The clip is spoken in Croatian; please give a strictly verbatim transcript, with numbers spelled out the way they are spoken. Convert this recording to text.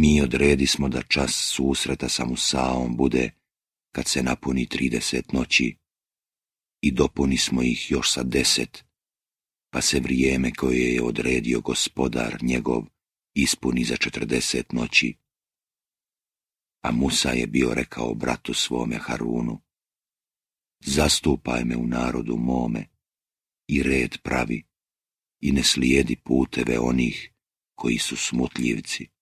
Mi odredismo da čas susreta sa Musaom bude kad se napuni trideset noći i dopunismo ih još sa deset, pa se vrijeme koje je odredio gospodar njegov ispuni za četrdeset noći. A Musa je bio rekao bratu svome Harunu: zastupaj me u narodu mome i red pravi i ne slijedi puteve onih koji su smutljivci.